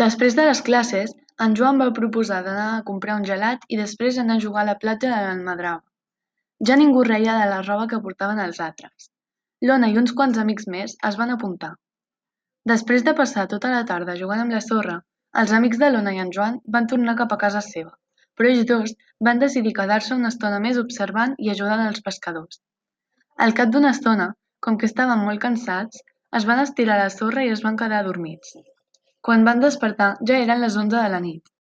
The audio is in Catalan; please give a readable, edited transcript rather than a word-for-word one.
Després de les classes, en Joan va proposar d'anar a comprar un gelat i després anar a jugar a la platja de l'Almadrava. Ja ningú reia de la roba que portaven els altres. L'Ona i uns quants amics més es van apuntar. Després de passar tota la tarda jugant amb la sorra, els amics de l'Ona i en Joan van tornar cap a casa seva, però ells dos van decidir quedar-se una estona més observant i ajudant els pescadors. Al cap d'una estona, com que estaven molt cansats, es van estirar a la sorra i es van quedar adormits. Quan van despertar ja eren les 11 de la nit.